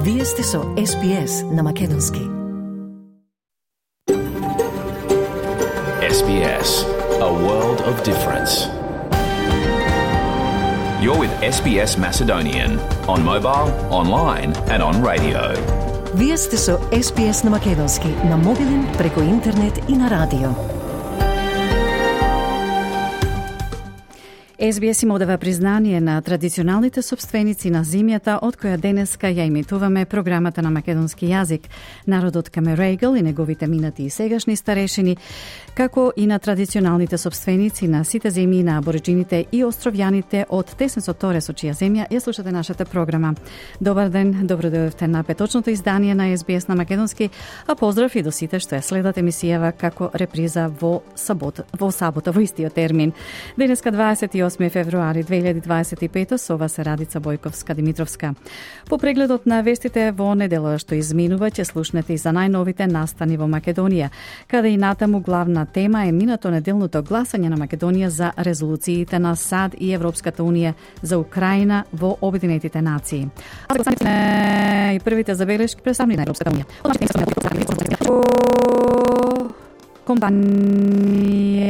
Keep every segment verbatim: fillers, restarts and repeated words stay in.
Вие сте со Ес Би Ес на Македонски. Ес Би Ес, a world of difference. You're with Ес Би Ес Macedonian on mobile, online and on radio. Вие сте со Ес Би Ес на Македонски, на мобилен, преку интернет и на радио. Ес Би Ес им одава признание на традиционалните собственици на земјата, од која денеска ја имитуваме програмата на македонски јазик, народот Камерегал и неговите минати и сегашни старешини, како и на традиционалните собственици на сите земји на абориджините и островјаните од Теснесо Торе, со чија земја ја слушате нашата програма. Добар ден, добро дојдовте на петочното издание на Ес Би Ес на македонски, а поздрав и до сите што ја следат емисијава како реприза во сабота, во сабота во истиот термин. Денеска дваесет и осми февруари две илјади дваесет и пета, со вас е Радица Бојковска-Димитровска. По прегледот на вестите во неделата што изминува, ќе слушнете и за најновите настани во Македонија, каде и натаму главна тема е минато неделното гласање на Македонија за резолуциите на САД и Европската унија за Украина во Обединетите нации. А за гласањето и првите забелешки представни на Европската унија. Компанија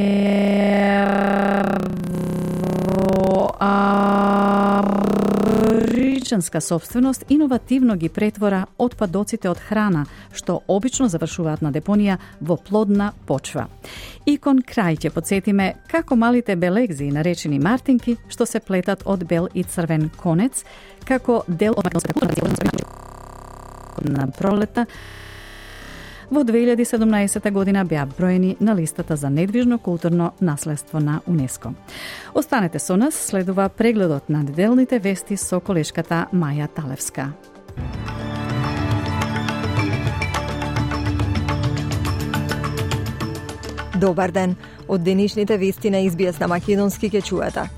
абориджинска собственост иновативно ги претвора отпадоците од храна, што обично завршуваат на депонија во плодна почва. И кон крај ќе подсетиме како малите белегзи, наречени мартинки, што се плетат од бел и црвен конец, како дел од македонската на пролета, во две илјади седумнаесета година беа броени на листата за недвижно културно наследство на УНЕСКО. Останете со нас, следува прегледот на неделните вести со колешката Маја Талевска. Добар ден. Од денешните вести на Ес Би Ес на македонски ќе чуете.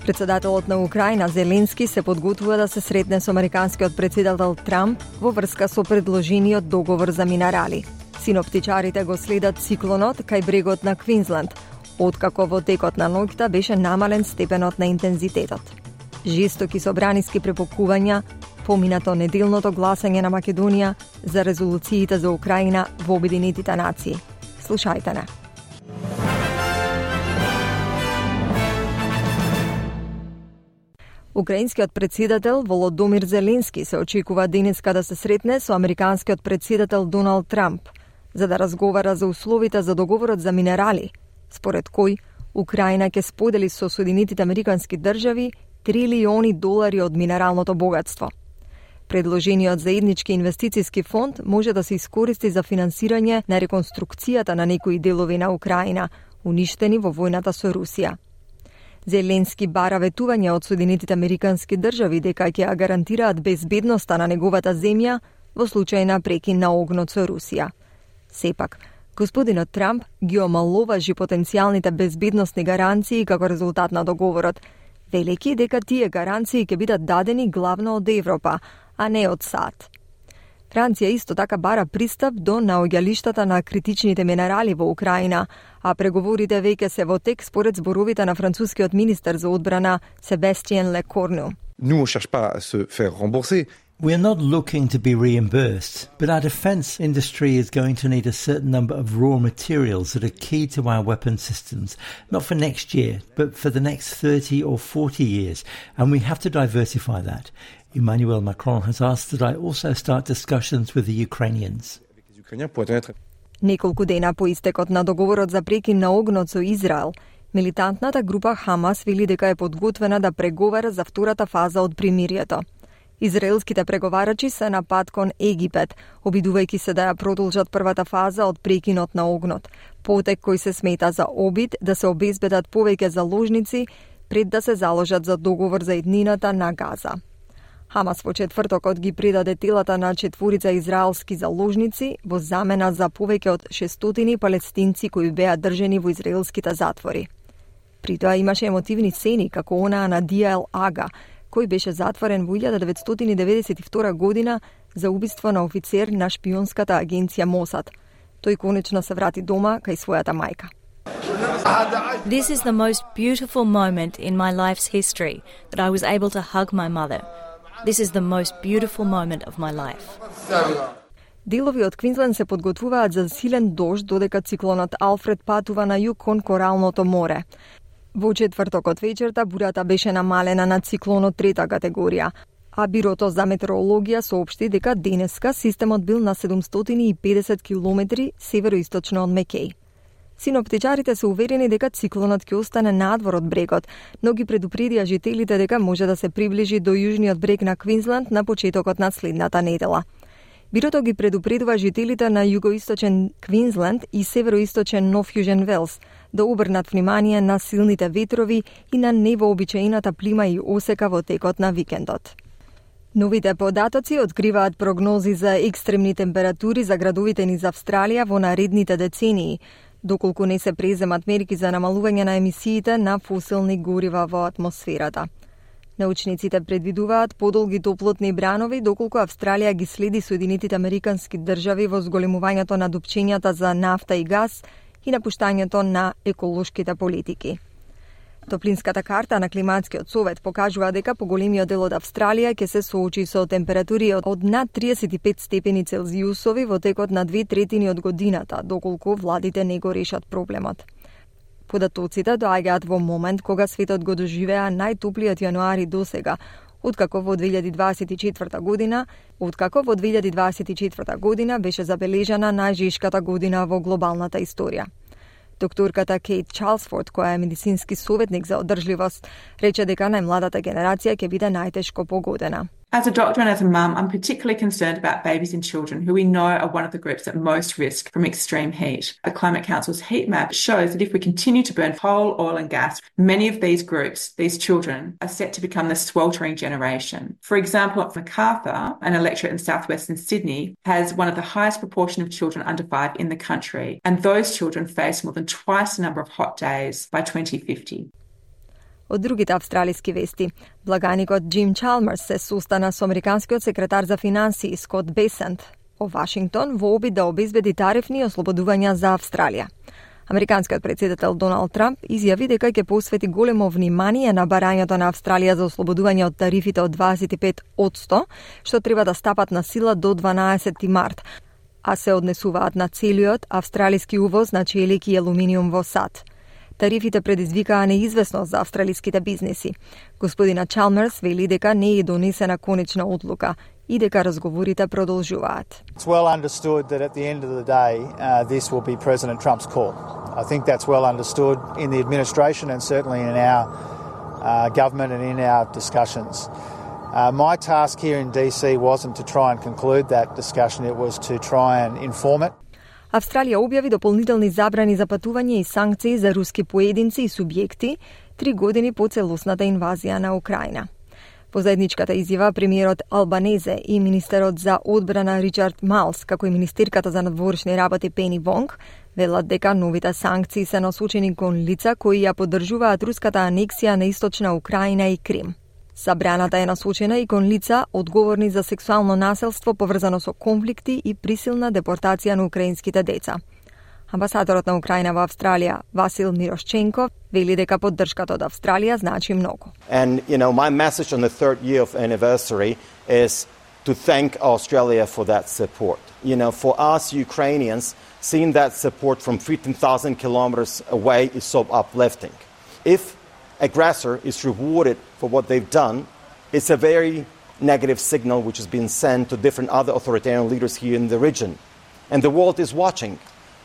Председателот на Украина Зеленски се подготвува да се сретне со американскиот председател Трамп во врска со предложениот договор за минерали. Синоптичарите го следат циклонот кај брегот на Квинсленд, откако во текот на ноќта беше намален степенот на интензитетот. Жестоки собраниски препокувања, поминато неделното гласање на Македонија за резолуциите за Украина во Обединетите нации. Слушајте не. Украинскиот председател Володомир Зеленски се очекува денеска да се сретне со американскиот председател Доналд Трамп, за да разговара за условите за договорот за минерали, според кој Украина ќе сподели со Соединетите американски држави трилиони долари од минералното богатство. Предложениот заеднички инвестициски фонд може да се искористи за финансирање на реконструкцијата на некои делови на Украина, уништени во војната со Русија. Зеленски бара ветување од Соединетите американски држави дека ќе ја гарантираат безбедноста на неговата земја во случај на прекин на огнот со Русија. Сепак, господинот Трамп ги омаловажи потенцијалните безбедносни гаранции како резултат на договорот, велики дека тие гаранции ќе бидат дадени главно од Европа, а не од САД. Франција исто така бара пристап до наоѓалиштата на критичните минерали во Украина, а преговорите веќе се во тек според зборовите на францускиот министер за одбрана Себастиен Лекорну. Nous, on cherche pas à se faire rembourser. We are not looking to be reimbursed, but our defence industry is going to need a certain number of raw materials that are key to our weapon systems, not for next year, but for the next thirty or forty years, and we have to diversify that. Emmanuel Macron has asked that I also start discussions with the Ukrainians. Неколку дена по истекот на договорот за прекин на огнот со Израел, милитантната група Хамас вели дека е подготвена да преговара за втората фаза од примирието. Израелските преговарачи се на пат кон Египет, обидувајќи се да ја продолжат првата фаза од прекинот на огнот, потек кој се смета за обид да се обезбедат повеќе заложници пред да се заложат за договор за иднината на Газа. Хамас во четвртокот ги предаде телата на четворица израелски заложници во замена за повеќе од шестстотини палестинци кои беа држани во израелските затвори. При тоа имаше емотивни сцени како онаа на Диел Ага, кој беше затворен во илјада деветстотини деветдесет и втора година за убиство на офицер на шпионската агенција Мосад. Тој конечно се врати дома кај својата мајка. This is the most beautiful moment in my life's history, that I was able to hug my mother. This is the most beautiful moment of my life. Делови од Квинсленд се подготвуваат за силен дожд додека циклонот Алфред патува на југ кон Коралното море. Во четвртокот вечерта бурата беше намалена на циклонот трета категорија, а Бирото за метеорологија соопшти дека денеска системот бил на седумстотини и педесет километри североисточно од Мекеј. Синоптичарите се уверени дека циклонот ќе остане надвор од брегот, но ги предупредија жителите дека може да се приближи до јужниот брег на Квинсленд на почетокот на следната недела. Бирото ги предупредува жителите на југоисточен Квинсленд и североисточен Нов Јужен Велс да обрнат внимание на силните ветрови и на невообичаената плима и осека во текот на викендот. Новите податоци откриваат прогнози за екстремни температури за градовите низ Австралија во наредните децении, доколку не се преземат мерки за намалување на емисиите на фосилни горива во атмосферата. Научниците предвидуваат подолги топлотни бранови доколку Австралија ги следи Соединетите Американски држави во зголемувањето на дупчењата за нафта и газ и напуштањето на еколошките политики. Топлинската карта на Климатскиот совет покажува дека поголемиот дел од Австралија ќе се соочи со температури од над триесет и пет степени Целзиусови во текот на две третини од годината, доколку владите не го решат проблемот. Податоците доаѓаат во момент кога светот го доживеа најтоплиот јануари досега, откако во две илјади дваесет и четврта година, откако во две илјади дваесет и четврта година беше забележана најжешката година во глобалната историја. Докторката Кейт Чарлсфорд, која е медицински советник за одржливост, рече дека најмладата генерација ќе биде најтешко погодена. As a doctor and as a mum, I'm particularly concerned about babies and children who we know are one of the groups at most risk from extreme heat. The Climate Council's heat map shows that if we continue to burn coal, oil and gas, many of these groups, these children, are set to become the sweltering generation. For example, at Macarthur, an electorate in southwestern Sydney, has one of the highest proportion of children under five in the country, and those children face more than twice the number of hot days by twenty fifty. Од другите австралиски вести, благаникот Джим Чалмерс се состана со американскиот секретар за финансии Скот Бесент во Вашингтон во обид да обезбеди тарифни ослободувања за Австралија. Американскиот претседател Доналд Трамп изјави дека ќе посвети големо внимание на барањето на Австралија за ослободување од тарифите од дваесет и пет одсто, што треба да стапат на сила до дванаесети март, а се однесуваат на целиот австралиски увоз на челик и алуминиум во САД. Тарифите предизвикаа неизвестност за австралиските бизнеси. Господина Чалмерс вели дека не е донесена конечна одлука и дека разговорите продолжуваат. It's well understood that at the end of the day uh, this will be President Trump's call. I think that's well understood in the administration and certainly in our uh, government and in our discussions. Uh, my task here in D C wasn't to try and conclude that discussion, it was to try and inform it. Австралија објави дополнителни забрани за патување и санкции за руски поединци и субјекти три години по целосната инвазија на Украина. Во заедничката изјава премиерот Албанезе и министерот за одбрана Ричард Малс, како и министерката за надворешни работи Пени Вонг, велат дека новите санкции се насочени кон лица кои ја поддржуваат руската анексија на источна Украина и Крим. Забраната е насочена и кон лица одговорни за сексуално насилство поврзано со конфликти и присилна депортација на украинските деца. Амбасадорот на Украина во Австралија, Васил Мирошченко, вели дека поддршката од Австралија значи многу. And you know, my message on the third year of anniversary is to thank Australia for that support. You know, for us Ukrainians, seeing that support from fifteen thousand kilometers away is so uplifting. If aggressor is rewarded for what they've done, it's a very negative signal which has been sent to different other authoritarian leaders here in the region. And the world is watching,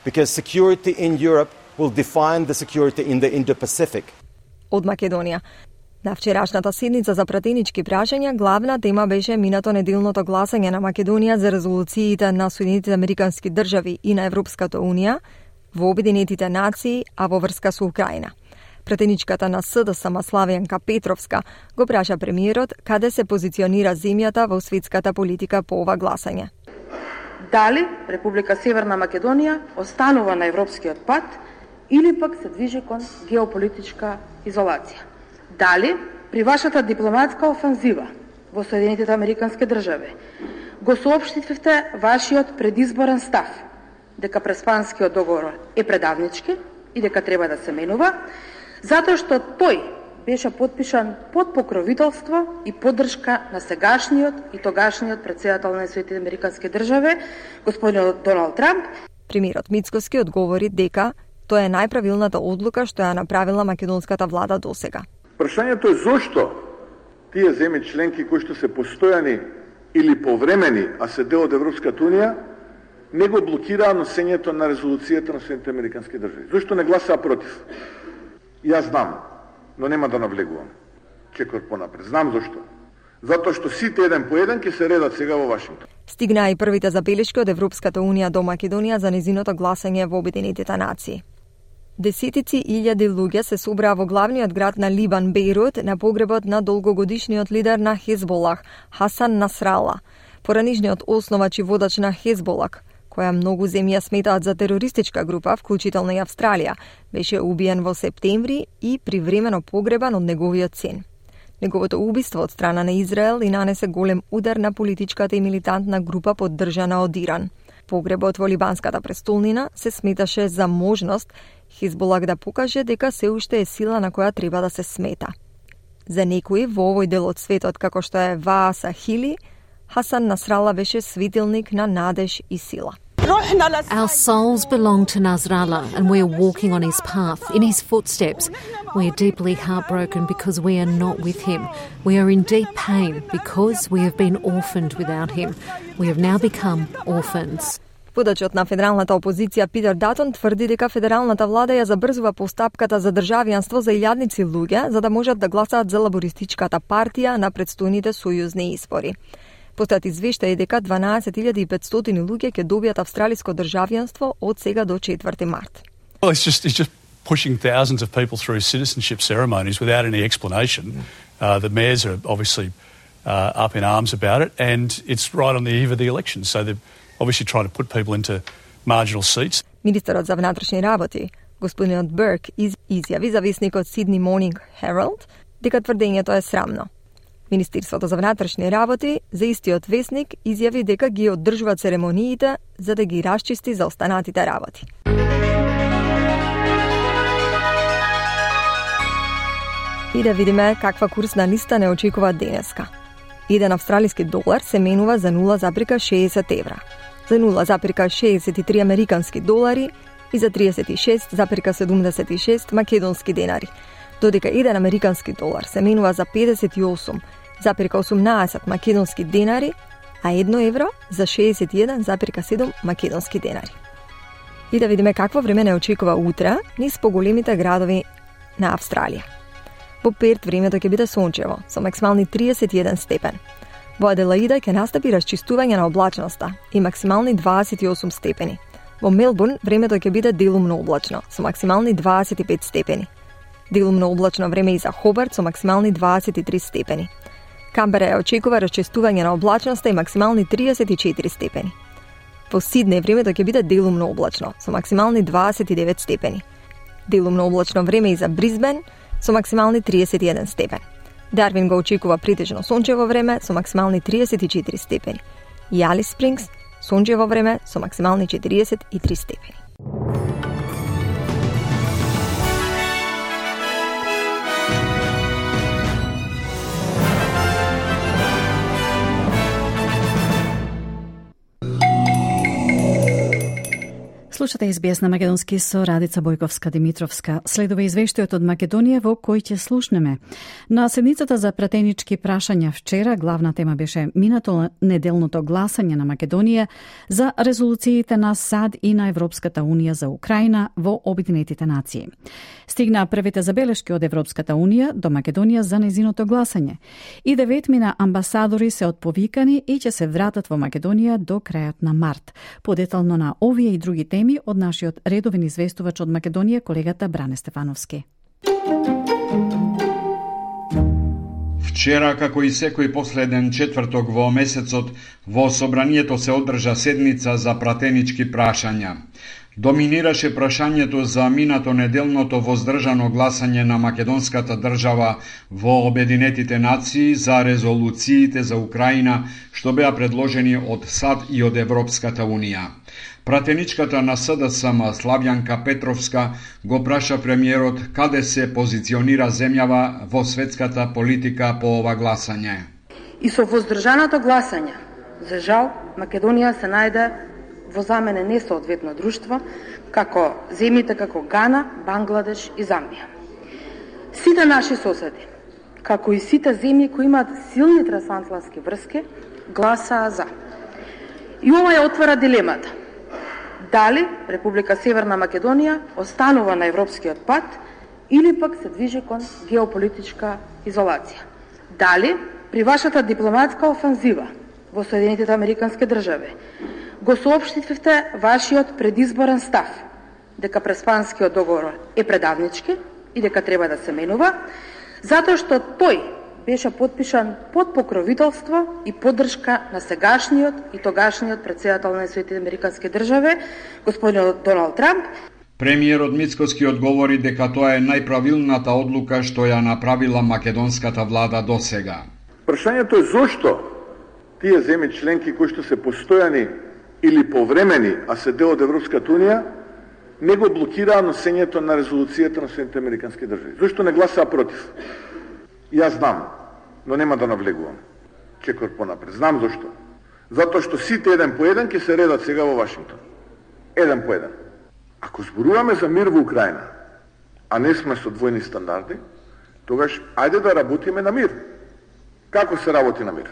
because security in Europe will define the security in the Indo-Pacific. Од Македонија. На вчерашната седница за пратенички прашања, главна тема беше минато неделното гласање на Македонија за резолуциите на Соединетите Американски држави и на Европската Унија во Обединетите нации, а во врска со Украина. Пратеничката на СДС Славјанка Петровска го праша премиерот каде се позиционира земјата во светската политика по ова гласање. Дали Република Северна Македонија останува на европскиот пат или пак се движи кон геополитичка изолација? Дали при вашата дипломатска офанзива во Соединетите Американски држави го соопштивте вашиот предизборен став дека Преспанскиот договор е предавнички и дека треба да се менува, затоа што тој беше подпишан под покровителство и поддршка на сегашниот и тогашниот претседател на Соединетите американски држави, господин Доналд Трамп. Премиерот Мицкоски одговори дека тоа е најправилната одлука што ја направила македонската влада досега. Прашањето е зошто тие земји членки кои што се постојани или повремени, а се дел од Европската унија, не го блокираа носењето на резолуцијата на Соединетите американски држави. Зошто не гласаа против? Јас знам, но нема да навлегувам. Чекор понапред. Знам зошто. Затоа што сите еден по еден ќе се редат сега во Вашингтон. Стигнаа и првите забелешки од Европската унија до Македонија за незиното гласање во Обединетите нации. Десетици илјади луѓе се собраа во главниот град на Либан, Бејрут, на погребот на долгогодишниот лидер на Хезболах, Хасан Насрала, поранишниот основач и водач на Хезболах, која многу земји сметаат за терористичка група, вклучително и Австралија, беше убиен во септември и привремено погребан од неговиот син. Неговото убиство од страна на Израел и нанесе голем удар на политичката и милитантна група поддржана од Иран. Погребот во либанската престолнина се сметаше за можност Хезболах да покаже дека се уште е сила на која треба да се смета. За некои во овој дел од светот, како што е Вааса Хили, Хасан Насрала беше светилник на надеж и сила. Our souls belong to Nasrallah and we are walking on his path, in his footsteps. We are deeply heartbroken because we are not with him. We are in deep pain because we have been orphaned without him. We have now become orphans. Водачот на федералната опозиција Питер Датон тврди дека федералната влада ја забрзува постапката за државјанство за илјадници луѓе за да можат да гласаат за лабористичката партија на предстојните сојузни избори. Постојат извештаи дека дванаесет илјади и петстотини луѓе ќе добијат австралиско државјанство од сега до четврти март. Well, it's just, it's just pushing thousands of people through citizenship ceremonies without any explanation. Uh, the mayors are obviously uh, up in arms about it, and it's right on the eve of the election, so they're obviously trying to put people into marginal seats. Министерот за внатрешни работи, господинот Берк, из, изјави за весникот Sydney Morning Herald дека тврдењето е срамно. Министерството за внатрешни работи за истиот весник изјави дека ги одржува церемониите за да ги расчисти за останатите работи. И да видиме каква курсна листа не очекува денеска. Еден австралиски долар се менува за нула запирка шеесет евра, за нула запирка шеесет и три американски долари и за триесет и шест запирка седумдесет и шест македонски денари, додека еден американски долар се менува за педесет и осум запирка осумнаесет македонски денари, а едно евро за шеесет и еден запирка седум македонски денари. И да видиме какво време не очекува утре низ поголемите градови на Австралија. Во Перт времето ќе биде сончево, со максимални триесет и еден степен. Во Аделаида ќе настапи расчистување на облачноста и максимални дваесет и осум степени. Во Мелбурн времето ќе биде делумно облачно, со максимални дваесет и пет степени. Делумно облачно време и за Хобарт со максимални дваесет и три степени. Камбера ја очекува расчистување на облачноста и максимални триесет и четири степени. Во Сиднеј времето ќе биде делумно облачно, со максимални дваесет и девет степени. Делумно облачно време и за Брисбен со максимални триесет и еден степен. Дарвин го очекува претежно сончево време со максимални триесет и четири степени. И Алис Спрингс сончево време со максимални четириесет и три степени. Слушате Ес Би Ес на македонски со Радица Бојковска-Димитровска. Следува извештајот од Македонија во кој ќе слушнеме. На седницата за пратенички прашања вчера главна тема беше минато неделното гласање на Македонија за резолуциите на САД и на Европската унија за Украина во Обединетите нации. Стигнаа првите забелешки од Европската унија до Македонија за незиното гласање. И деветмина амбасадори се отповикани и ќе се вратат во Македонија до крајот на март. Подетално на овие и други теми од нашиот редовен известувач од Македонија, колегата Бране Стефановски. Вчера, како и секој последен четврток во месецот, во Собранието се одржа седница за пратенички прашања. Доминираше прашањето за минато неделното воздржано гласање на македонската држава во Обединетите нации за резолуциите за Украина што беа предложени од САД и од Европската Унија. Пратеничката на СДСМ Славјанка Петровска го праша премиерот каде се позиционира земјава во светската политика по ова гласање. И со воздржаното гласање, за жал, Македонија се најде во за мене несоодветно друштво, како земјите како Гана, Бангладеш и Замбија. Сите наши соседи, како и сите земји кои имаат силни трансатлантски врски, гласаа за. И ова ја отвара дилемата. Дали Република Северна Македонија останува на европскиот пат или пак се движи кон геополитичка изолација. Дали при вашата дипломатска офанзива во Соединетите Американски држави го соопштивте вашиот предизборен став дека преспанскиот договор е предавнички и дека треба да се менува, затоа што тој беше подпишан под покровителство и поддршка на сегашниот и тогашниот претседател на Соединетите Американски држави, господин Доналд Трамп. Премиерот Мицкоски одговори дека тоа е најправилната одлука што ја направила македонската влада досега. Прашањето е зошто тие земји членки кои што се постојани или повремени, а се дел од Европската Унија, не го блокираа носењето на резолуцијата на Соединетите Американски држави. Зошто не гласаа против? Јас знам, но нема да навлегувам. Чекор понапред. Знам зошто. Затоа што сите еден по еден ќе се редат сега во Вашингтон. Еден по еден. Ако зборуваме за мир во Украина, а не сме со двојни стандарди, тогаш ајде да работиме на мир. Како се работи на мир?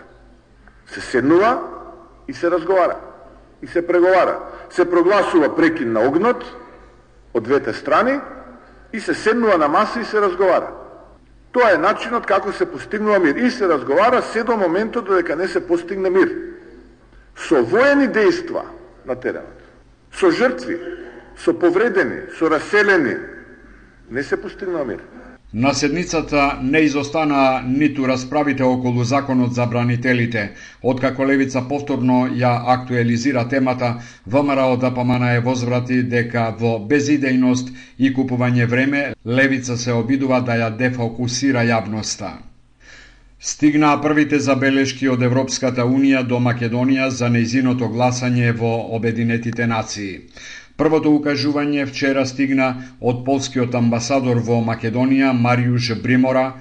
Се седнува и се разговара. И се преговара. Се прогласува прекин на огнот од двете страни и се седнува на маса и се разговара. Тоа е начинот како се постигнува мир. И се разговара се до моментот додека не се постигне мир. Со воени дејства на теренот, со жртви, со повредени, со раселени, не се постигнува мир. На седницата не изостана ниту расправите околу законот за бранителите. Откако Левица повторно ја актуализира темата, ВМРО ДПМН е возврати дека во безидејност и купување време, Левица се обидува да ја дефокусира јавноста. Стигнаа првите забелешки од Европската Унија до Македонија за нејзиното гласање во Обединетите нации. Првото укажување вчера стигна од полскиот амбасадор во Македонија Мариуш Бримора,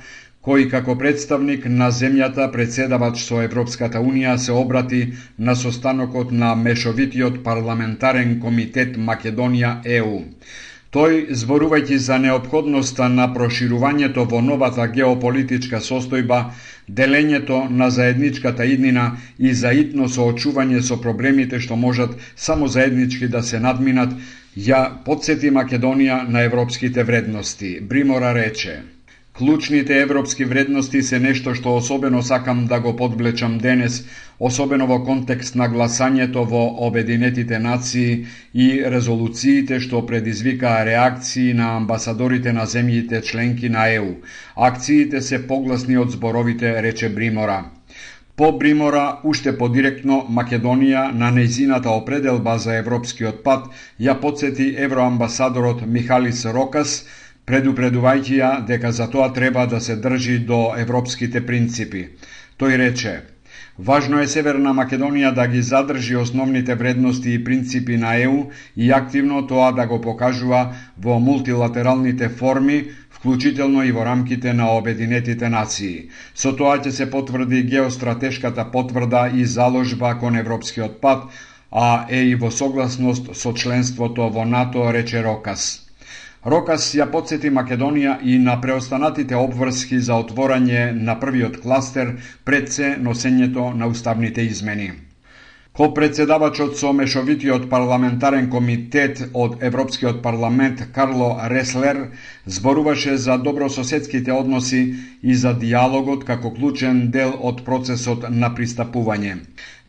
кој како представник на земјата председавач со Европската Унија се обрати на состанокот на Мешовитиот парламентарен комитет Македонија-Е У. Тој, зборувајќи за неопходноста на проширувањето во новата геополитичка состојба, делењето на заедничката иднина и заитно соочување со проблемите што можат само заеднички да се надминат, ја потсети Македонија на европските вредности. Бримора рече: клучните европски вредности се нешто што особено сакам да го подблечам денес, особено во контекст на гласањето во Обединетите нации и резолуциите што предизвикаа реакции на амбасадорите на земјите членки на Е У. Акциите се погласни од зборовите, рече Бримора. По Бримора, уште подиректно, Македонија на нејзината определба за европскиот пат ја потсети евроамбасадорот Михалис Рокас, предупредувајќи ја дека за тоа треба да се држи до европските принципи. Тој рече: важно е Северна Македонија да ги задржи основните вредности и принципи на Е У и активно тоа да го покажува во мултилатералните форми, вклучително и во рамките на Обединетите нации. Со тоа ќе се потврди геостратешката потврда и заложба кон европскиот пат, а е и во согласност со членството во НАТО, рече Рокас. Рокас ја потсети Македонија и на преостанатите обврски за отворање на првиот кластер пред се носењето на уставните измени. Ко-председавачот со Мешовитиот парламентарен комитет од Европскиот парламент Карло Реслер зборуваше за добрососедските односи и за диалогот како клучен дел од процесот на пристапување.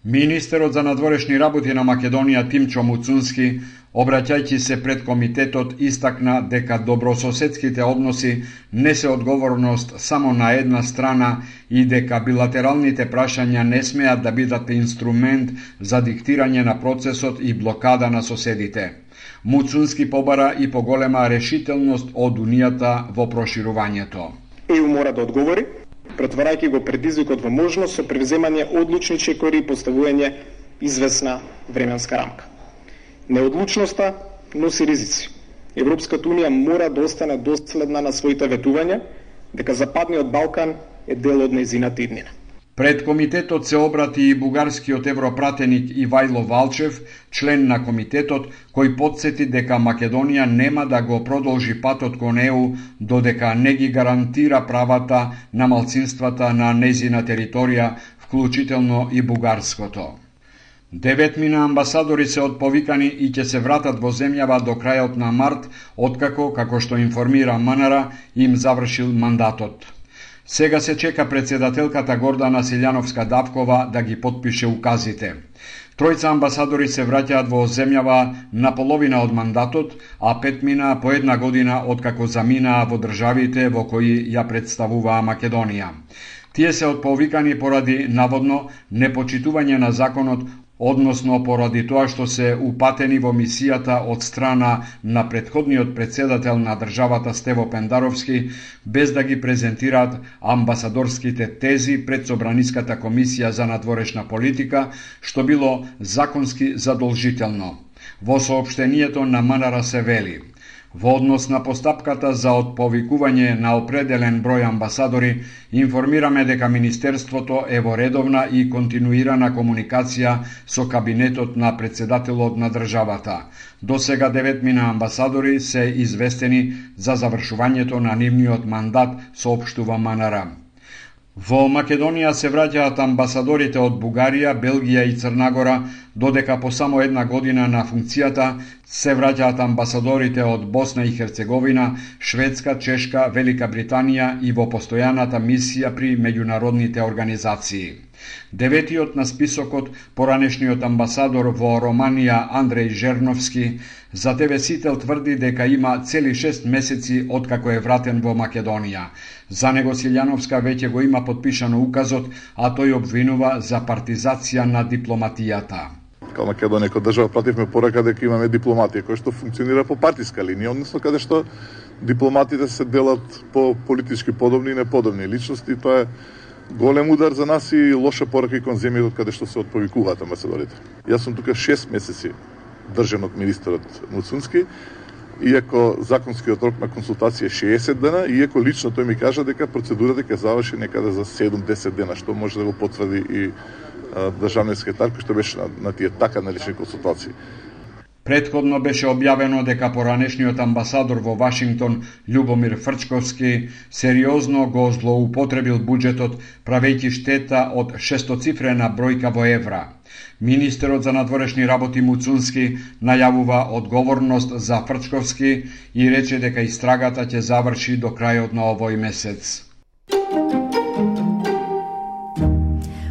Министерот за надворешни работи на Македонија Тимчо Муцунски, обраќајќи се пред комитетот, истакна дека добрососедските односи не се одговорност само на една страна и дека билатералните прашања не смеат да бидат инструмент за диктирање на процесот и блокада на соседите. Муцунски побара и поголема решителност од Унијата во проширувањето. Е Ю мора да одговори, претварајќи го предизвикот во можност со превземање одлучни чекори и поставување известна временска рамка. Неодлучноста носи ризици. Европската Унија мора да остане доследна на своите ветувања дека Западниот Балкан е дел од нејзината иднина. Пред комитетот се обрати и бугарскиот европратеник Ивајло Валчев, член на комитетот, кој потсети дека Македонија нема да го продолжи патот кон Е У додека не ги гарантира правата на малцинствата на нејзина територија, вклучително и бугарското. Деветмина амбасадори се отповикани и ќе се вратат во земјава до крајот на март, откако, како што информира МНР, им завршил мандатот. Сега се чека председателката Гордана Силјановска-Давкова да ги потпише указите. Тројца амбасадори се враќаат во земјава на половина од мандатот, а петмина по една година откако заминаа во државите во кои ја представуваа Македонија. Тие се отповикани поради наводно непочитување на законот, односно поради тоа што се упатени во мисијата од страна на претходниот председател на државата Стево Пендаровски, без да ги презентираат амбасадорските тези пред Собраниската комисија за надворешна политика, што било законски задолжително. Во соопштението на МНР се вели: во однос на постапката за отповикување на определен број амбасадори, информираме дека Министерството е во редовна и континуирана комуникација со кабинетот на председателот на државата. До сега деветмина амбасадори се известени за завршувањето на нивниот мандат, соопштува МНР. Во Македонија се враќаат амбасадорите од Бугарија, Белгија и Црнагора, додека по само една година на функцијата се враќаат амбасадорите од Босна и Херцеговина, Шведска, Чешка, Велика Британија и во постојаната мисија при меѓународните организации. Деветиот на списокот, поранешниот амбасадор во Романија Андреј Жерновски, за Те Ве Сител тврди дека има цели шест месеци откако е вратен во Македонија. За него Силјановска веќе го има подпишано указот, а тој обвинува за партизација на дипломатијата. Као Македонија, како држава, пративме порака дека имаме дипломатија која што функционира по партиска линија, односно каде што дипломатите се делат по политички подобни и неподобни личности. Тоа е голем удар за нас и лоша порака и кон земјата каде што се отповикуваат амбасадорите. Јас сум тука шест месеци држан од министерот Муцунски, иако законскиот рок на консултација е шеесет дена, иако лично тој ми кажа дека процедурата ќе заврши некаде за седум до десет дена, што може да го потврди и а, државниот секретар кој што беше на, на тие така наречени консултации. Претходно беше објавено дека поранешниот амбасадор во Вашингтон Љубомир Фрчковски сериозно го злоупотребил буџетот, правејќи штета од шестоцифрена бројка во евра. Министерот за надворешни работи Муцунски најавува одговорност за Фрчковски и рече дека истрагата ќе заврши до крајот на овој месец.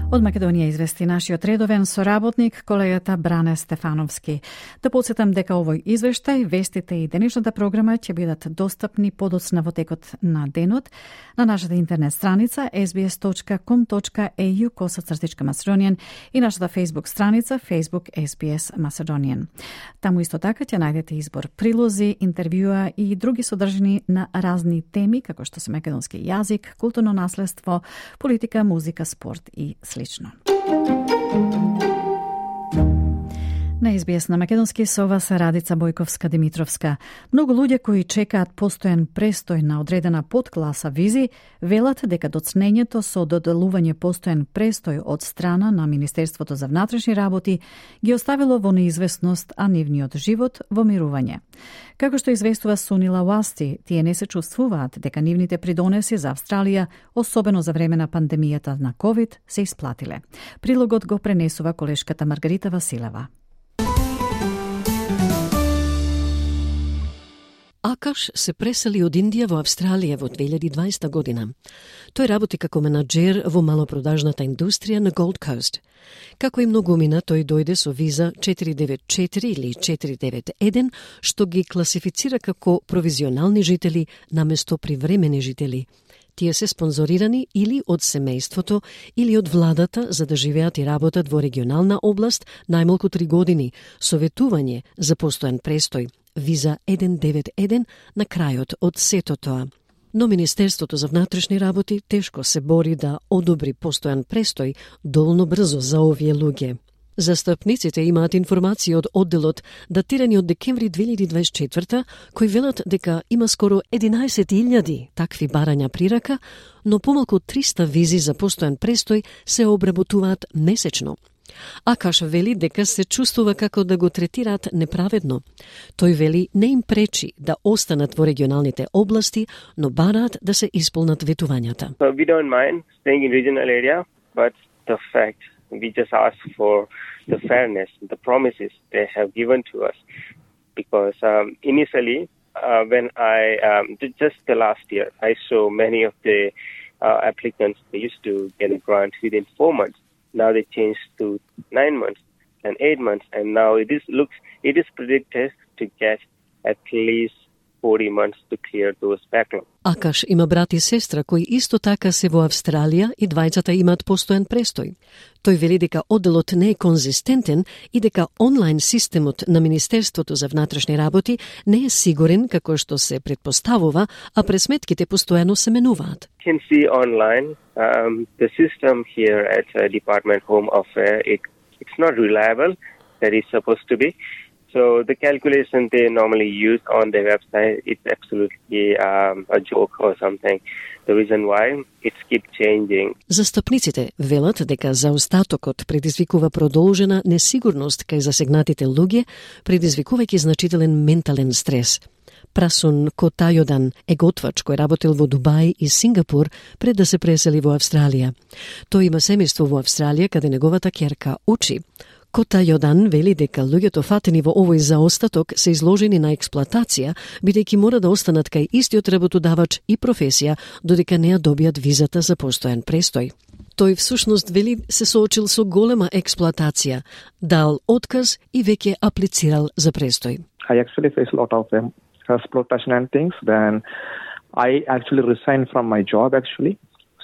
Од Македонија извести нашиот редовен соработник, колегата Бране Стефановски. Да подсетам дека овој извештај, вестите и денешната програма ќе бидат достапни подоцна во текот на денот на нашата интернет страница ес би ес точка ком точка е ю косацртичка Macedonian и нашата Facebook страница Facebook ес би ес Macedonian. Таму исто така ќе најдете избор прилози, интервјуа и други содржини на разни теми, како што се македонски јазик, културно наследство, политика, музика, спорт и слично. На ес би ес на македонски со вас Радица Бојковска-Димитровска. Многу луѓе кои чекаат постојан престој на одредена подкласа визи, велат дека доцнењето со доделување постојан престој од страна на Министерството за внатрешни работи ги оставило во неизвестност, а нивниот живот во мирување. Како што известува Сунила Уасти, тие не се чувствуваат дека нивните придонеси за Австралија, особено за време на пандемијата на ковид, се исплатиле. Прилогот го пренесува колешката Маргарита Василева. Акаш се пресели од Индија во Австралија во две илјади и дваесета година. Тој работи како менаџер во малопродажната индустрија на Gold Coast. Како и многумина, тој дојде со виза четири девет четири или четири девет еден, што ги класифицира како провизионални жители наместо привремени жители. Тие се спонзорирани или од семејството или од владата за да живеат и работат во регионална област најмалку три години, советување за постојан престој, виза еден девет еден на крајот од сето тоа. Но Министерството за внатрешни работи тешко се бори да одобри постојан престој доволно брзо за овие луѓе. Застапниците имаат информации од одделот датирани од декември две илјади дваесет и четврта, кои велат дека има скоро единаесет илјади такви барања прирака, но помалку од триста визи за постојан престој се обработуваат месечно. Акаш вели дека се чувствува како да го третираат неправедно. Тој вели не им пречи да останат во регионалните области, но бараат да се исполнат ветувањата. So we don't mind staying in regional area, but the fact we just ask for the fairness, the promises they have given to us. Because um, initially, uh, when I, um, just the last year, I saw many of the uh, applicants, they used to get a grant within four months. Now they changed to nine months and eight months. And now it is looks, it is predicted to get at least forty months to clear those backlog. Акаш има брат и сестра кои исто така се во Австралија и двајцата имаат постојан престој. Тој вели дека одделот не е конзистентен и дека онлайн системот на Министерството за внатрешни работи не е сигурен како што се предпоставува, а пресметките постојано се менуваат. You can see online um, the system here at uh, Department Home Affairs, it, it's not reliable that it's supposed to be. So the calculation they normally use on their website, it's absolutely um, a joke or something. The reason why it's keep changing. Застапниците велат дека заостатокот предизвикува продолжена несигурност кај засегнатите луѓе, предизвикувајќи значителен ментален стрес. Прасун Котајодан е готвач кој работел во Дубај и Сингапур пред да се пресели во Австралија. Тој има семејство во Австралија каде неговата ќерка учи. Котајодан вели дека луѓето фатени во овој заостаток се изложени на експлоатација, бидејќи мора да останат кај истиот работодавач и професија, додека не ја добијат визата за постојан престој. Тој всушност вели се соочил со голема експлоатација, дал отказ и веќе аплицирал за престој. I actually face a lot of um, exploitation and things. Then I actually resigned from my job actually.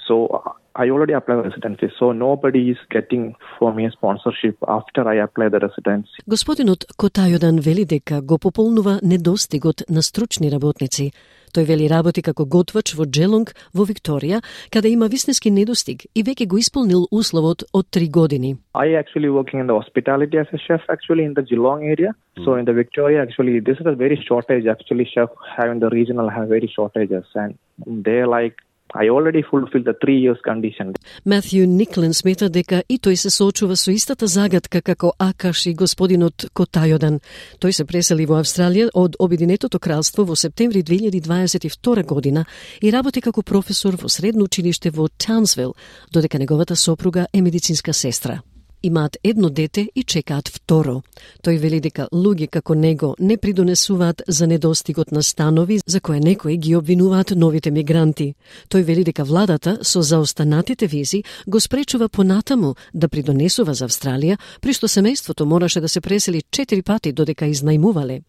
So I already applied residency, so nobody is getting for me a sponsorship after I apply the residency. Господинот Котајодан вели дека го пополнува недостигот на стручни работници. Тој вели работи како готвач во Джелонг во Викторија, каде има вистински недостиг и веќе го исполнил условот од три години. I actually working in the hospitality as a chef actually in the Geelong area. Mm. So in the Victoria actually this is a very shortage actually chef having the regional have very shortages and they like I already fulfilled the three years condition. Матју Никлен смета дека и тој се соочува со истата загадка како Акаш и господинот Котајодан. Тој се пресели во Австралија од Обединетото кралство во септември две илјади дваесет и втора година и работи како професор во средно училиште во Таунсвил, додека неговата сопруга е медицинска сестра. Имаат едно дете и чекаат второ. Тој вели дека луѓе како него не придонесуваат за недостигот на станови за кое некои ги обвинуваат новите мигранти. Тој вели дека владата со заостанатите визи го спречува понатаму да придонесува за Австралија, при што семејството мораше да се пресели четири пати додека изнајмувале.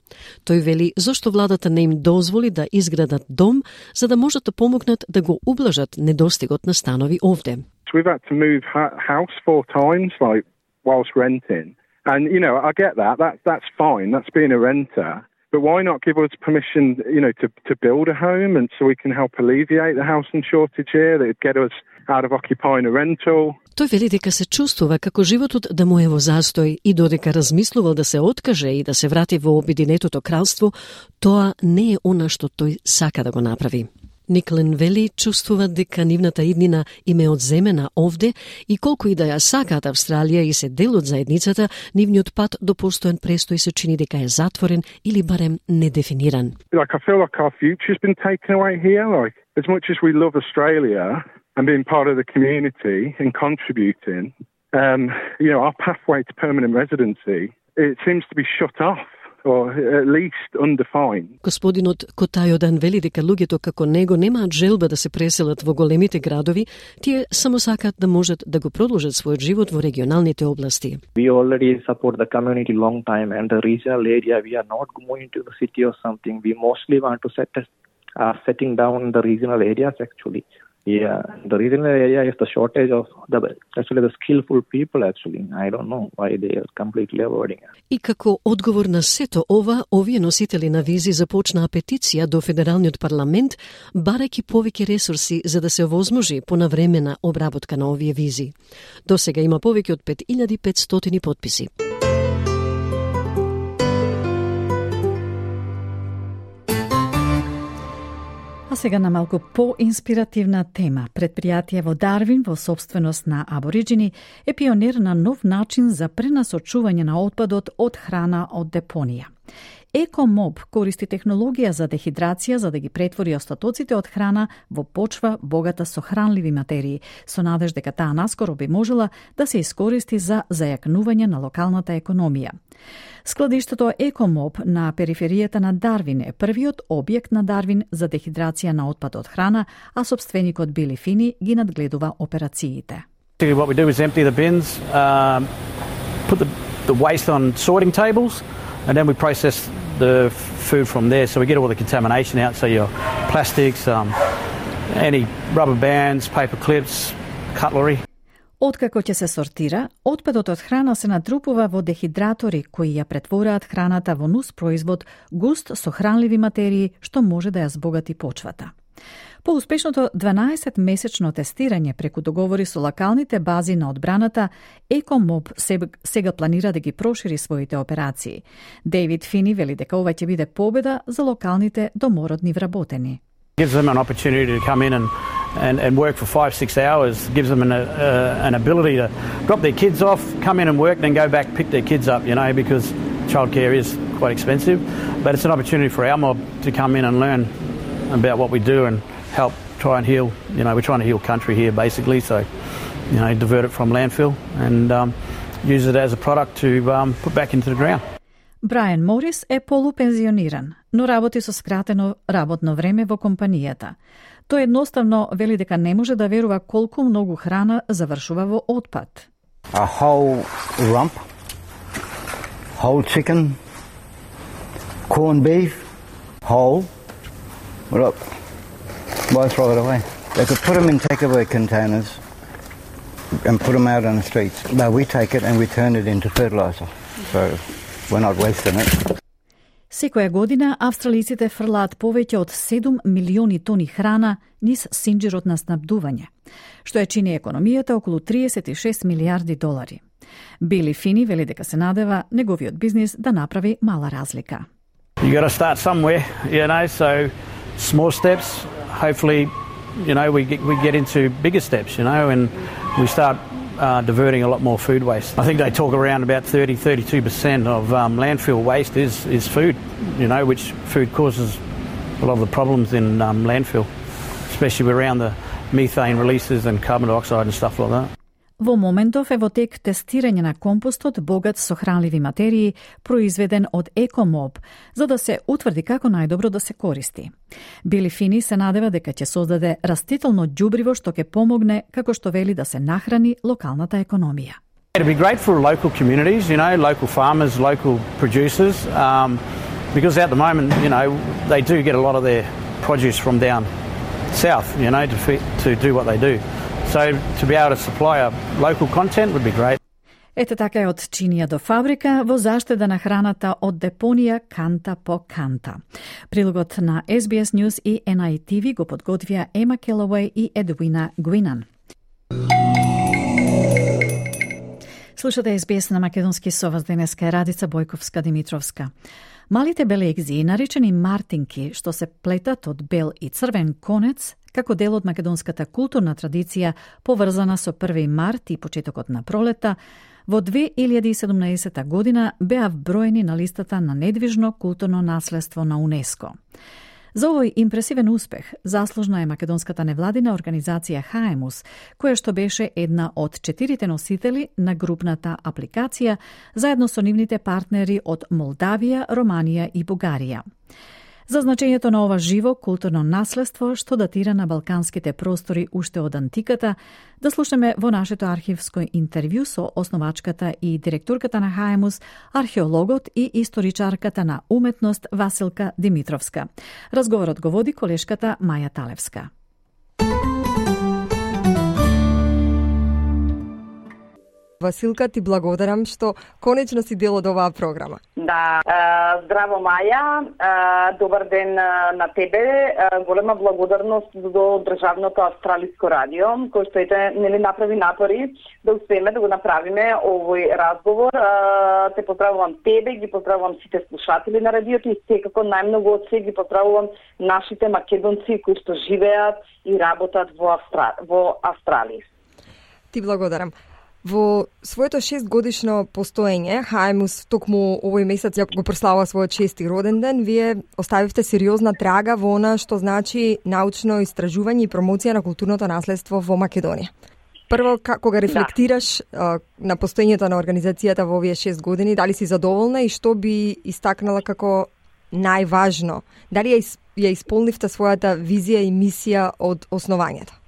Тој вели зошто владата не им дозволи да изградат дом за да можат да помогнат да го ублажат недостигот на станови овде. We've had to move ha- house four times, like whilst renting, and you know I get that. That that's fine. That's being a renter. But why not give us permission, you know, to to build a home, and so we can help alleviate the housing shortage here. That'd get us out of occupying a rental. Тој вели дека се чувствува како животот да му е во застој и додека размислувал да се откаже и да се врати во Обединетото кралство, тоа не е она што тој сака да го направи. Никлен вели чувствува дека нивната иднина им е одземена овде и колку и да ја сакаат Австралија и се дел од заедницата, нивниот пат до постојан престој се чини дека е затворен или барем недефиниран. Like I feel like our future's been taken away here. Like as much as we love Australia and being part of the community and contributing, um, you know, our pathway to permanent residency, it seems to be shut off. Or at least undefined. Господинот Котајодан вели дека луѓето како него немаат желба да се преселат во големите градови, тие само сакаат да можат да го продолжат својот живот во регионалните области. We already support the community long time and the regional area. We are not going to the city or something. We mostly want to set uh, setting down the regional areas actually. Yeah, the regional area is the shortage of the actually the skillful people. Actually, I don't know why they are completely avoiding it. И како одговор на сето ова, овие носители на визи започнаа петиција до Федералниот парламент, барајќи повеќе ресурси за да се овозможи понавремена обработка на овие визи. До сега има повеќе од пет илјади и петстотини потписи. А сега на малку по-инспиративна тема. Предпријатие во Дарвин во собственост на абориджини е пионер на нов начин за пренасочување на отпадот од храна од депонија. EcoMob користи технологија за дехидрација за да ги претвори остатоците од храна во почва богата со хранливи материи, со надеж дека таа наскоро би можела да се искористи за зајакнување на локалната економија. Складиштето EcoMob на периферијата на Дарвин е првиот објект на Дарвин за дехидрација на отпад од храна, а собственикот Били Фини ги надгледува операциите. What we do is empty the bins, um, put the, the waste on sorting tables, and then we process the food from there. So we get all the contamination out, so your plastics, um, any rubber bands, paper clips, cutlery. Откако ќе се сортира, отпадот од храна се натрупува во дехидратори кои ја претвораат храната во нус производ густ со хранливи материи што може да ја збогати почвата. По успешното дванаесет-месечно тестирање преку договори со локалните бази на одбраната, EcoMob сега планира да ги прошири своите операции. Дейвид Фини вели дека ова ќе биде победа за локалните домородни вработени. Gives them an opportunity to come in and, and, and work for five, six hours, gives them an, uh, an ability to drop their kids off, come in and work, then go back, pick their kids up, you know, because childcare is quite expensive. But it's an opportunity for our mob to come in and learn about what we do and help try and heal, you know, we're trying to heal country here basically, so, you know, divert it from landfill and um, use it as a product to um, put back into the ground. Брайан Морис е полупензиониран, но работи со скратено работно време во компанијата. Тој едноставно вели дека не може да верува колку многу храна завршува во отпад. A whole rump, whole chicken, corned beef, whole. Look, why throw it away? They could put them in takeaway containers and put them out on the streets. But we take it and we turn it into fertilizer. So we're not wasting it. Секоја година австралиците фрлаат повеќе од седум милиони тони храна низ синџирот на снабдување, што ја чини економијата околу триесет и шест милијарди долари. Били Фини вели дека се надева неговиот бизнис да направи мала разлика. You got to start somewhere, you know, so small steps, hopefully, you know, we get, we get into bigger steps, you know, and we start uh, diverting a lot more food waste. I think they talk around about thirty, thirty-two percent of um, landfill waste is, is food, you know, which food causes a lot of the problems in um, landfill, especially around the methane releases and carbon dioxide and stuff like that. Во моментов е во тек тестирање на компостот богат со хранливи материи, произведен од EcoMob, за да се утврди како најдобро да се користи. Били Фини се надева дека ќе создаде растително ѓубриво што ќе помогне, како што вели, да се нахрани локалната економија. It'd be great for local communities, you know, local farmers, local producers, um, because at the moment, you know, they do get a lot of their produce from down south, you know, to, feed, to do what they do. So to be able to supply a local content would be great. Ете така е од чинија до фабрика во заштеда на храната од депонија канта по канта. Прилогот на Ес Би Ес News и Ен Ај Ти Ви го подготвија Ема Келауеј и Едвина Гуинан. Слушате Ес Би Ес на македонски, со вас денеска е Радица Бојковска-Димитровска. Малите белегзи, наречени мартинки, што се плетат од бел и црвен конец, како дел од македонската културна традиција поврзана со први март и почетокот на пролета, во две илјади и седумнаесета година беа вброени на листата на недвижно културно наследство на УНЕСКО. За овој импресивен успех заслужна е македонската невладина организација Хаемус, која што беше една од четирите носители на групната апликација, заедно со нивните партнери од Молдавија, Романија и Бугарија. За значењето на ова живо културно наследство, што датира на балканските простори уште од антиката, да слушаме во нашето архивско интервју со основачката и директорката на Хаемус, археологот и историчарката на уметност Василка Димитровска. Разговорот го води колешката Маја Талевска. Василка, ти благодарам што конечно си дел од оваа програма. Да, здраво Маја, добар ден на тебе. Голема благодарност до Државното австралиско радио, кој што ете нели направи напори да успееме да го направиме овој разговор. Те поздравувам тебе, ги поздравувам сите слушатели на радиото и секако најмногу од се ги поздравувам нашите македонци кои што живеат и работат во Австра... во Австралија. Ти благодарам. Во своето шестгодишно постоење, Хаемус токму овој месец го прославува својот шести роден ден, вие оставивте сериозна трага во она што значи научно истражување и промоција на културното наследство во Македонија. Прво, кога рефлектираш да. на постоењето на организацијата во овие шест години, дали си задоволна и што би истакнала како најважно? Дали ја, ја исполнивте својата визија и мисија од основањето?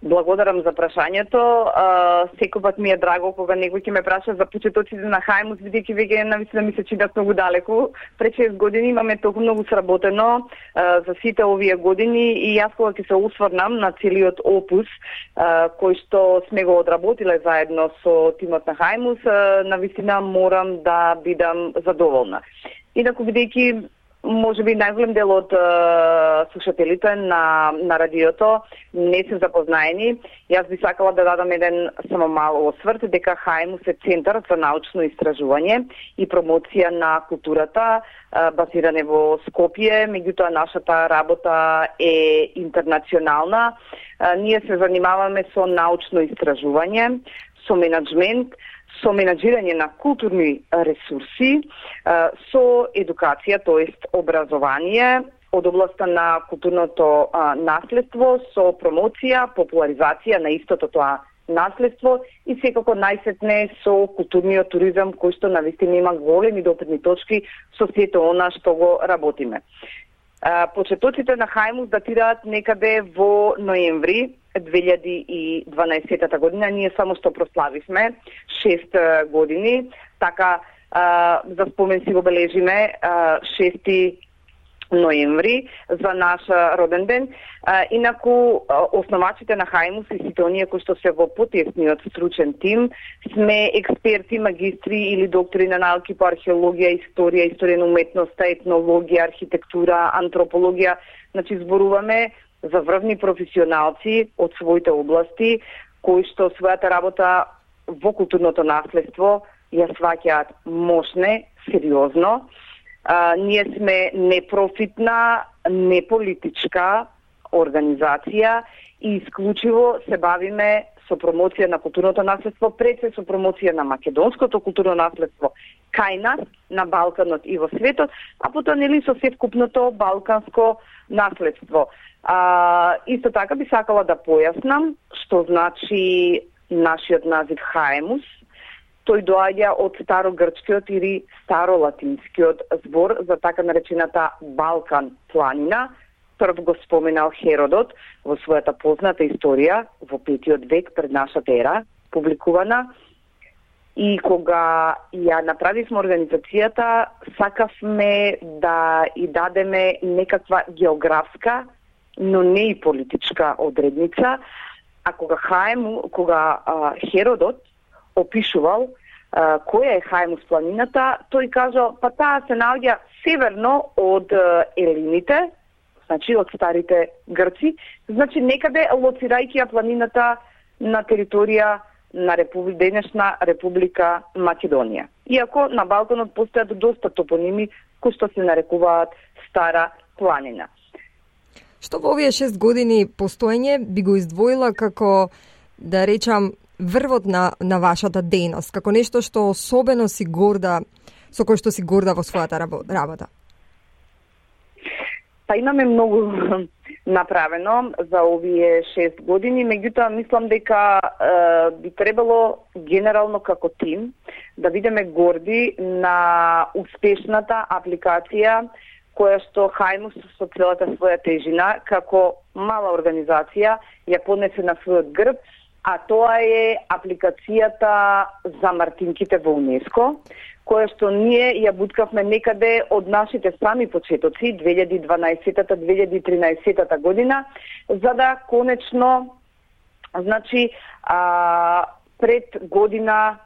Благодарам за прашањето. Секогаш ми е драго кога некој ќе ме праша за почетоците на Хаемус, бидејќи веќе навистина ми се чинат многу далеку. Пред шест години имаме толку многу сработено а, за сите овие години и јас кога ќе се осврнам на целиот опус а, кој што сме го одработиле заедно со тимот на Хаемус, навистина морам да бидам задоволна. Инаку бидејќи може би најголем дел од uh, слушателите на, на радиото не се запознаени. Јас би сакала да дадам еден само мал осврт дека Хаемус е центар за научно истражување и промоција на културата, uh, базиране во Скопје, меѓутоа нашата работа е интернационална. Uh, ние се занимаваме со научно истражување, со менаџмент, со менаџирање на културни ресурси, со едукација, тоест образование од областта на културното наследство, со промоција, популаризација на истото тоа наследство и секако најсетне со културниот туризам кој што навистина има големи допирни точки со сето она што го работиме. Почетоците на Хаемус датираат некаде во ноември две илјади и дванаесета година. Ние само што прославивме шест години, така а, за спомен си го бележиме а, шести ноември за наш роден ден. А, инаку основачите на Хаемус и сите оние кои што се во потесниот стручен тим сме експерти, магистри или доктори на науки по археологија, историја, историја на уметноста, етнологија, архитектура, антропологија. Значи зборуваме за врвни професионалци од своите области кои што својата работа во културното наследство ја сваќаат мощне, сериозно. А, ние сме непрофитна, неполитичка организација и исклучиво се бавиме со промоција на културното наследство, пред се со промоција на македонското културно наследство кај нас, на Балканот и во светот, а потоа нели со севкупното балканско наследство. А, исто така би сакала да појаснам што значи нашиот назив Хаемус. Тој доаѓа од старогрчкиот или старолатинскиот збор за така наречената Балкан планина. Прв го споменал Херодот во својата позната историја во петиот век пред нашата ера, публикувана. И кога ја направивме организацијата, сакавме да и дадеме некаква географска, но не и политичка одредница. А кога Хаему, кога а, Херодот опишувал а, која е Хаемус планината, тој кажал, па таа се наоѓа северно од а, Елините, значи од старите грци, значи некаде лоцирајќи ја планината на територија на републи, денешна Република Македонија. Иако на Балканот постојат доста топоними кои што се нарекуваат Стара планина. Што во овие шест години постоење би го издвоила како, да речам, врвот на, на вашата дејност, како нешто што особено си горда, со кој што си горда во својата работа? Па имаме многу направено за овие шест години, меѓутоа мислам дека е, би требало генерално како тим да бидеме горди на успешната апликација која што Хаемус со целата своја тежина како мала организација ја поднесе на својот грб, а тоа е апликацијата за мартинките во УНЕСКО, која што ние ја буткавме некаде од нашите сами почетоци, две илјади и дванаесета - две илјади и тринаесета година, за да конечно, значи, а, пред година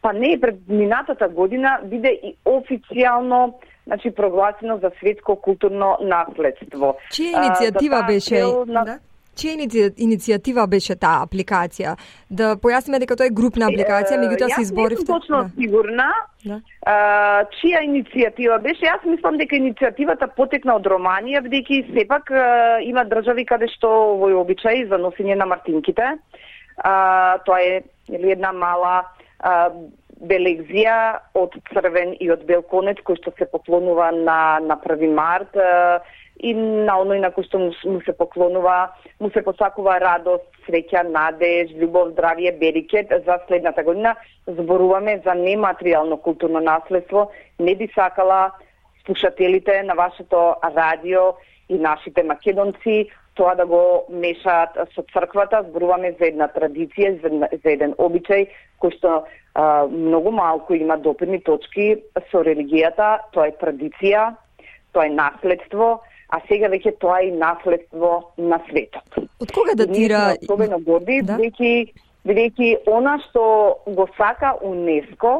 па не пред минатата година биде и официјално, значи прогласено за светско културно наследство. Чија иницијатива беше? На... Да? Чија иницијатива беше таа апликација? Да појасниме дека тоа е групна апликација, меѓутоа се изборивте. Јас не сум точно да. сигурна да. А, чија иницијатива беше. Јас мислам дека иницијативата потекна од Романија, бидејќи сепак а, има држави каде што овој обичај за носење на мартинките. А, тоа е или една мала а, белегзија од црвен и од бел конец кој што се поклонува на на први март. А, и на оној на кој што му се поклонува, му се посакува радост, среќа, надеж, љубов, здравје, берикет за следната година. Зборуваме за нематеријално културно наследство. Не би сакала слушателите на вашето радио и нашите македонци тоа да го мешаат со црквата. Зборуваме за една традиција, за еден обичај кој што а, многу малку има допирни точки со религијата. Тоа е традиција, тоа е наследство, а сега веќе тоа е и наследство на светот. Од кога датира? И особено горди, да? бидејќи бидејќи она што го сака УНЕСКО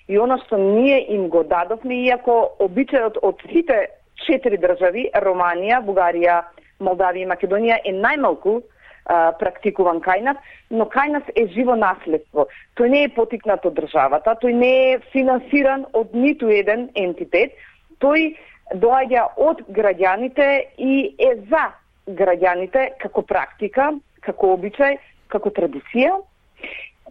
и она што ние им го дадовме, иако обичајот од сите четири држави, Романија, Бугарија, Молдавија и Македонија е најмалку а, практикуван кај нас, но кај нас е живо наследство. Тој не е потикнат од државата, тој не е финансиран од ниту еден ентитет, тој доаѓа од граѓаните и е за граѓаните како практика, како обичај, како традиција.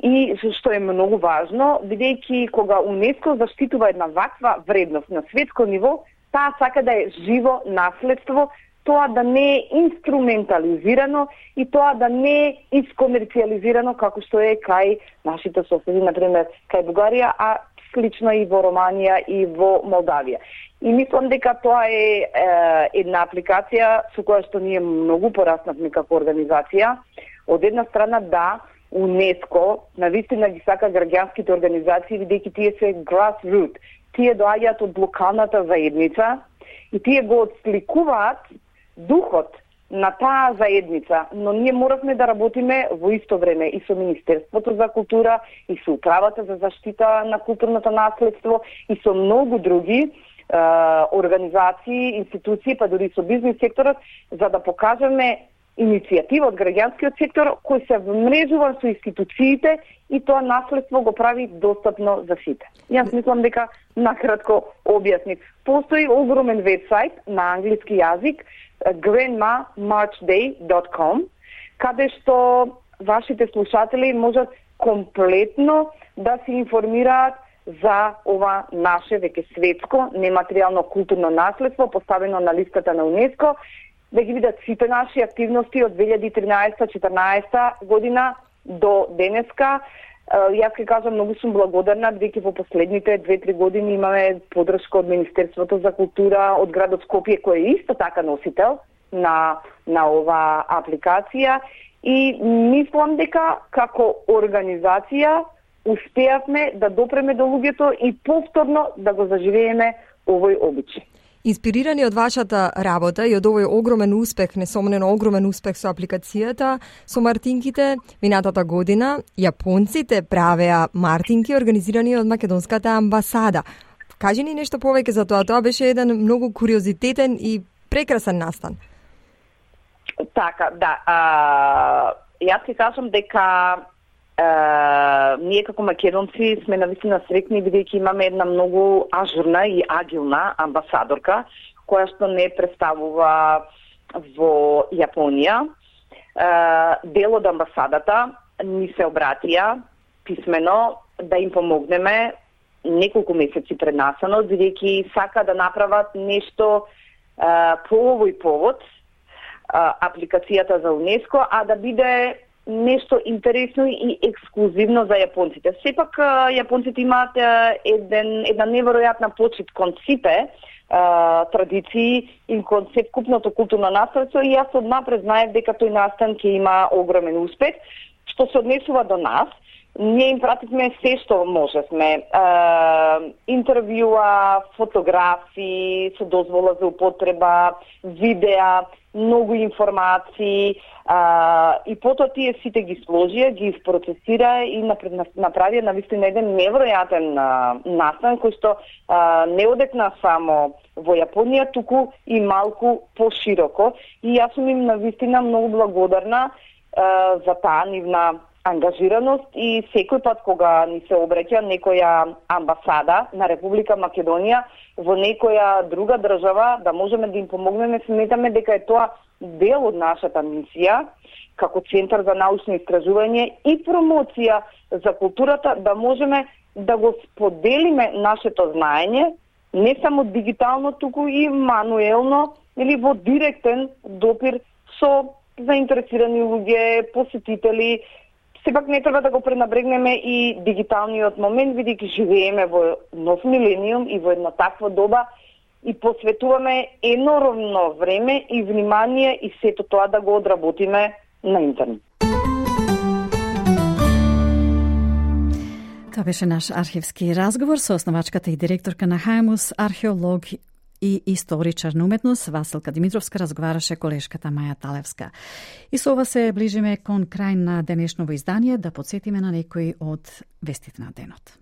И што е многу важно, бидејќи кога УНЕСКО заштитува една ваква вредност на светско ниво, таа сака да е живо наследство, тоа да не е инструментализирано и тоа да не е искомерцијализирано како што е кај нашите соседи, например, кај Бугарија, а слично и во Романија и во Молдавија. И мислам дека тоа е, е една апликација со која што ние многу пораснавме како организација. Од една страна да, УНЕСКО навистина ги сака граѓанските организации, бидејќи тие се grassroots. Тие доаѓаат од локалната заедница и тие го отсликуваат духот на таа заедница, но ние моравме да работиме во исто време и со Министерството за култура, и со Управата за заштита на културното наследство, и со многу други е, организации, институции, па дури со бизнес секторот, за да покажеме иницијатива од граѓанскиот сектор кој се вмрежува со институциите и тоа наследство го прави достапно за сите. Јас мислам дека накратко објаснив. Постои огромен вебсайт на англиски јазик grandma march day dot com, каде што вашите слушатели можат комплетно да се информираат за ова наше веќе светско нематеријално културно наследство поставено на листата на УНЕСКО, да ги видат сите наши активности од две илјади и тринаесета четрнаесета година до денеска. Јас ќе кажам, многу сум благодарна, бидејќи во последните две-три години имаме поддршка од Министерството за култура, од градот Скопје, кој е исто така носител на, на ова апликација. И мислам дека како организација успеавме да допреме до луѓето и повторно да го заживееме овој обичај. Инспирирани од вашата работа и од овој огромен успех, несомнено огромен успех со апликацијата, со мартинките, минатата година јапонците правеа мартинки организирани од македонската амбасада. Кажи ни нешто повеќе за тоа. Тоа беше еден многу куриозитетен и прекрасен настан. Така, да. А, јас ќе кажам дека Uh, ние како македонци сме навистина среќни, бидејќи имаме една многу ажурна и агилна амбасадорка, која што не представува во Јапонија. Uh, дел од амбасадата ни се обратија писмено да им помогнеме неколку месеци преднасано, бидејќи сака да направат нешто uh, по овој повод, uh, апликацијата за УНЕСКО, а да биде нешто интересно и ексклузивно за јапонците. Сепак јапонците имаат еден, една неверојатна почит кон сите а, традиции и кон севкупното културно наследство и јас однапред знаев дека тој настан ќе има огромен успех. Што се однесува до нас, ние им пративме се што можевме. Е, интервјуа, фотографии со дозвола за употреба, видеа, многу информации, а, и потоа тие сите ги сложија, ги процесира и направија навистина еден невројатен настан кој што а, не одекна само во Јапонија, туку и малку пошироко. И јас сум им навистина многу благодарна а, за таа нивна ангажираност и секој пат кога ни се обраќа некоја амбасада на Република Македонија во некоја друга држава, да можеме да им помогнеме, сметаме дека е тоа дел од нашата мисија како Центар за научно истражување и промоција за културата, да можеме да го споделиме нашето знаење, не само дигитално, туку и мануелно или во директен допир со заинтересирани луѓе, посетители. Сепак не треба да го пренабрегнеме и дигиталниот момент, бидејќи живееме во нов милениум и во една таква доба и посветуваме енормно време и внимание и сето тоа да го одработиме на интернет. Тоа беше наш архивски разговор со основачката и директорка на Хајмус, археолог и историчар на уметност Василка Димитровска, разговараше колешката Маја Талевска. И со ова се ближиме кон крај на денешново издание, да подсетиме на некои од вестите на денот.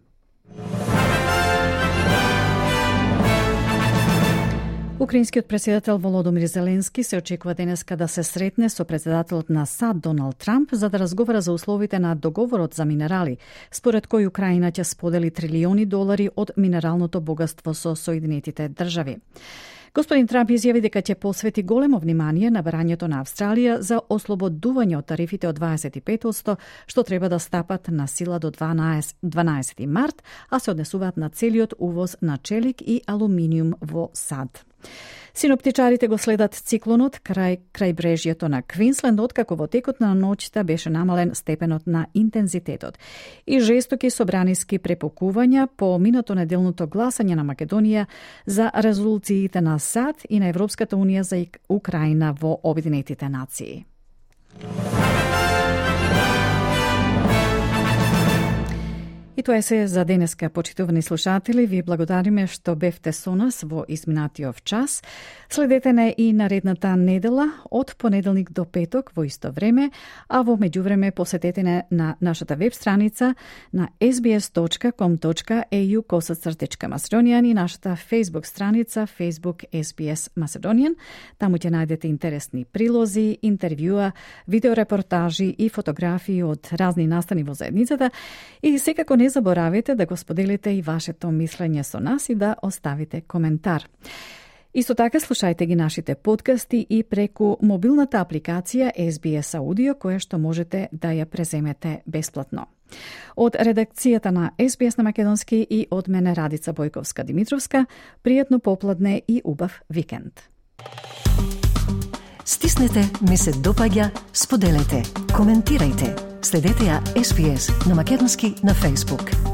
Украинскиот претседател Володомир Зеленски се очекува денеска да се сретне со претседателот на САД Доналд Трамп за да разговара за условите на договорот за минерали, според кој Украина ќе сподели трилиони долари од минералното богатство со Соединетите држави. Господин Трамп изјави дека ќе посвети големо внимание на барањето на Австралија за ослободување од тарифите од дваесет и пет одсто, што треба да стапат на сила до дванаесети март, а се однесуваат на целиот увоз на челик и алуминиум во САД. Синоптичарите го следат циклонот крај крајбрежјето на Квинсленд, откако во текот на ноќта беше намален степенот на интензитетот. И жестоки собраниски препокувања по минато неделното гласање на Македонија за резолуциите на САД и на Европската унија за Украина во Обединетите нации. И тоа е се за денеска, почитувани слушатели. Ви благодариме што бевте со нас во изминатиот час. Следете не и наредната недела од понеделник до петок во исто време, а во меѓувреме посетете не на нашата веб страница на ес би ес точка ком точка е ю косацртичка Macedonian и нашата Facebook страница Facebook ес би ес Macedonian. Таму ќе најдете интересни прилози, интервјуа, видеорепортажи и фотографии од разни настани во заедницата и секако не заборавете да го споделите и вашето мислење со нас и да оставите коментар. Исто така слушајте ги нашите подкасти и преку мобилната апликација ес би ес Audio, која што можете да ја преземете бесплатно. Од редакцијата на ес би ес на македонски и од мене Радица Бојковска Димитровска, пријатно попладне и убав викенд. Стиснете, ми се допаѓа, споделете, коментирајте. Следете ја ес би ес на македонски на Facebook.